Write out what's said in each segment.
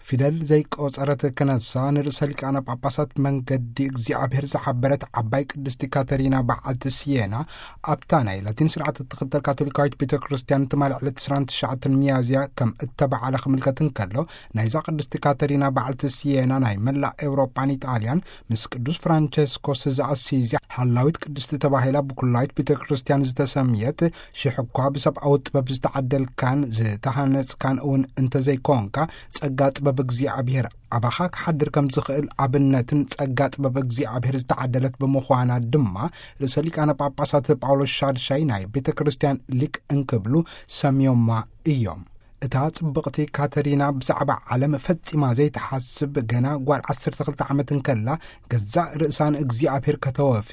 ፊደል ዘይቆጸረት ክነሳ ንርእሰ ሊቃነ ጳጳሳት መንገዲ እግዚኣብሔር ዝሓበረት ዓባይ ቅድስቲ ካተሪና በዓልቲ ሲየና፣ ኣብታ ናይ ላቲን ስርዓት እትኽተል ካቶሊካዊት ቤተ ክርስቲያን ትማሊ ዕለት ዕስራን ትሽዓተን ሚያዝያ ከም እተባዕለ ክምልከት እንከሎ፣ ናይዛ ቅድስቲ ካተሪና በዓልቲ ሲየና ናይ መላእ ኤውሮጳን ኢጣልያን ምስ ቅዱስ ፍራንቸስኮስ ዘኣሲዝያ ሓላዊት ቅድስቲ ተባሂላ ብኩላዊት ቤተ ክርስቲያን ዝተሰምየት፣ ሽሕ እኳ ብሰብኣዊ ጥበብ ዝተዓደልካን ዝተሃነጽካን እውን እንተዘይኮንካ፣ ጸጋ ጥበብ እግዚኣብሔር ኣባኻ ክሓድር ከም ዝኽእል ኣብነትን ጸጋ ጥበብ እግዚኣብሔር ዝተዓደለት ብምዃና ድማ፣ ርእሰ ሊቃነ ጳጳሳት ጳውሎስ ሻድሻይ ናይ ቤተ ክርስቲያን ሊቅ እንክብሉ ሰምዮማ እዮም። እታ ጽብቕቲ ካተሪና ብዛዕባ ዓለም ፈጺማ ዘይትሓስብ ገና ጓል ዓሰርተ ክልተ ዓመት እንከላ፣ ገዛእ ርእሳ ንእግዚኣብሔር ከተወፊ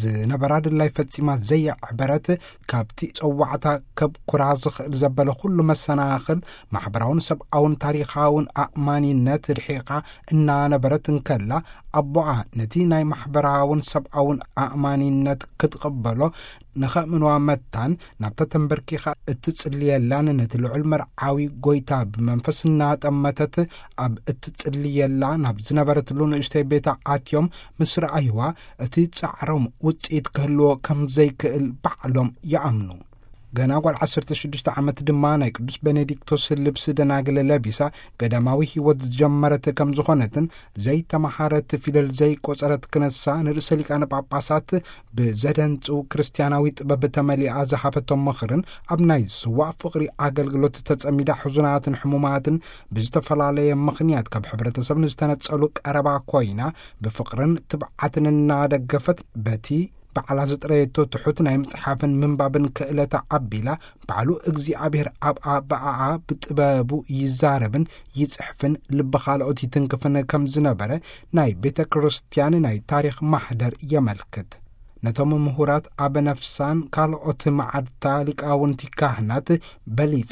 ዝነበራ ድላይ ፈጺማ ዘየዕበረት፣ ካብቲ ጸዋዕታ ከብኩራ ዝኽእል ዘበለ ኩሉ መሰናኽል፣ ማሕበራውን ሰብኣውን ታሪኻውን ኣእማኒነት ርሒቓ እናነበረት እንከላ፣ ኣቦኣ ነቲ ናይ ማሕበራውን ሰብኣውን ኣእማኒነት ክትቕበሎ ንኸእምንዋ መታን፣ ናብታ ተንበርኪኻ እትጽልየላን ነቲ ልዑል መርዓዊ ጐይታ ብመንፈስ እናጠመተት ኣብ እትጽልየላ ናብ ዝነበረትሉ ንእሽተይ ቤታ ኣትዮም ምስ ረኣይዋ፣ እቲ ጻዕሮም ውጽኢት ክህልዎ ከም ዘይክእል ባዕሎም ይኣምኑ። ገና ጓል ዓሰርተ ሽዱሽተ ዓመት ድማ ናይ ቅዱስ ቤኔዲክቶስ ልብሲ ደናግል ለቢሳ ገዳማዊ ህይወት ዝጀመረት ከም ዝኾነትን፣ ዘይተመሃረት ፊደል ዘይቆጸረት ክነሳ ንርእሰ ሊቃነ ጳጳሳት ብዘደንጹ ክርስቲያናዊ ጥበብ ተመሊኣ ዝሃበቶም ምኽርን፣ ኣብ ናይ ዝስዋእ ፍቕሪ ኣገልግሎት ተጸሚዳ ሕዙናትን ሕሙማትን ብዝተፈላለየ ምኽንያት ካብ ሕብረተሰብ ንዝተነጸሉ ቀረባ ኮይና ብፍቕርን ትብዓትን እናደገፈት በቲ ባዕላ ዝጥረየቶ ትሑት ናይ ምጽሓፍን ምንባብን ክእለታ ኣቢላ፣ ባዕሉ እግዚኣብሔር ኣብ ኣባኣኣ ብጥበቡ ይዛረብን ይጽሕፍን ልቢ ካልኦት ይትንክፍን ከም ዝነበረ ናይ ቤተ ክርስቲያን ናይ ታሪኽ ማሕደር የመልክት። ነቶም ምሁራት ኣበ ነፍሳን ካልኦት መዓድታ ሊቃውንቲ ካህናት በሊጻ፣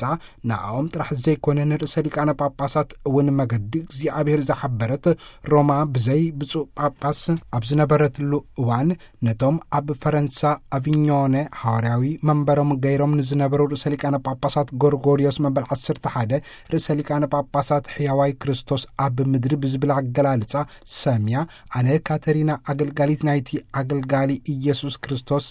ንኣኦም ጥራሕ ዘይኮነ ንርእሰ ሊቃነ ጳጳሳት እውን መገዲ እግዚኣብሔር ዝሓበረት፣ ሮማ ብዘይ ብፁዕ ጳጳስ ኣብ ዝነበረትሉ እዋን፣ ነቶም ኣብ ፈረንሳ ኣቪኞነ ሃዋርያዊ መንበሮም ገይሮም ንዝነበሩ ርእሰ ሊቃነ ጳጳሳት ጎርጎርዮስ መበል ዓሰርተ ሓደ፣ ርእሰ ሊቃነ ጳጳሳት ሕያዋይ ክርስቶስ ኣብ ምድሪ ብዝብል ኣገላልጻ ሰምያ፣ ኣነ ካተሪና ኣገልጋሊት ናይቲ ኣገልጋሊ ኢየሱስ ክርስቶስ፣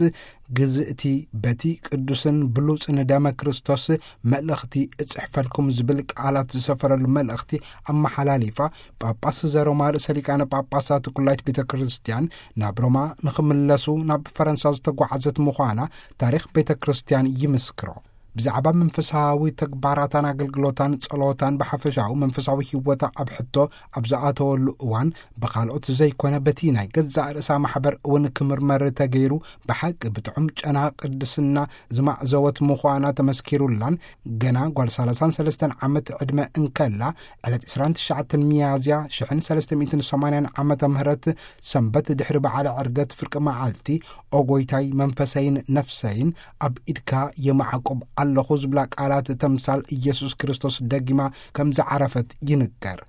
ግዝእቲ በቲ ቅዱስን ብሉጽን ደመ ክርስቶስ መልእኽቲ እጽሕፈልኩም ዝብል ቃላት ዝሰፈረሉ መልእኽቲ ኣመሓላሊፋ፣ ጳጳስ ዘሮማ ርእሰ ሊቃነ ጳጳሳት ኩላይት ቤተ ክርስቲያን ናብ ሮማ ንኽምለሱ ናብ ፈረንሳ ዝተጓዓዘት ምዃና ታሪኽ ቤተ ክርስቲያን ይምስክሮ። ብዛዕባ መንፈሳዊ ተግባራታን ኣገልግሎታን ጸሎታን ብሓፈሻዊ መንፈሳዊ ህይወታ ኣብ ሕቶ ኣብ ዝኣተወሉ እዋን፣ ብኻልኦት ዘይኮነ በቲ ናይ ገዛእ ርእሳ ማሕበር እውን ክምርመር ተገይሩ፣ ብሓቂ ብጥዑም ጨና ቅድስና ዝማዕዘወት ምዃና ተመስኪሩላን፣ ገና ጓል ሰላሳን ሰለስተን ዓመት ዕድመ እንከላ፣ ዕለት ዕስራን ትሽዓተን ሚያዝያ ሽሕን ሰለስተ ሚእትን ሰማንያን ዓመተ ምህረት ሰንበት ድሕሪ በዓለ ዕርገት ፍርቂ መዓልቲ፣ "ኦ ጎይታይ፣ መንፈሰይን ነፍሰይን ኣብ ኢድካ የማዕቁብ ኣለኹ" ዝብላ ቃላት ተምሳል ኢየሱስ ክርስቶስ ደጊማ ከም ዝዓረፈት ይንገር።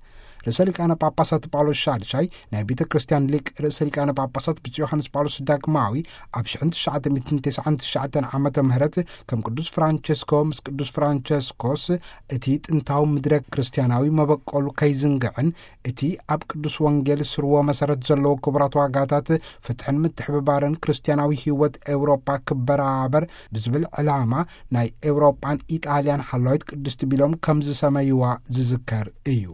ርእሰ ሊቃነ ጳጳሳት ጳውሎስ ሻድሻይ ናይ ቤተ ክርስቲያን ሊቅ ርእሰ ሊቃነ ጳጳሳት ብፁዕ ዮሃንስ ጳውሎስ ዳግማዊ ኣብ ሽሕን ትሽዓተ ሚእትን ተስዓን ትሽዓተን ዓመተ ምህረት ከም ቅዱስ ፍራንቸስኮ ምስ ቅዱስ ፍራንቸስኮስ እቲ ጥንታዊ ምድረ ክርስቲያናዊ መበቆሉ ከይዝንግዕን እቲ ኣብ ቅዱስ ወንጌል ስርወ መሰረት ዘለዎ ክቡራት ዋጋታት ፍትሕን ምትሕብባርን ክርስቲያናዊ ህይወት ኤውሮጳ ክበራበር ብዝብል ዕላማ ናይ ኤውሮጳን ኢጣልያን ሓላዊት ቅድስቲ ቢሎም ከም ዝሰመይዋ ዝዝከር እዩ።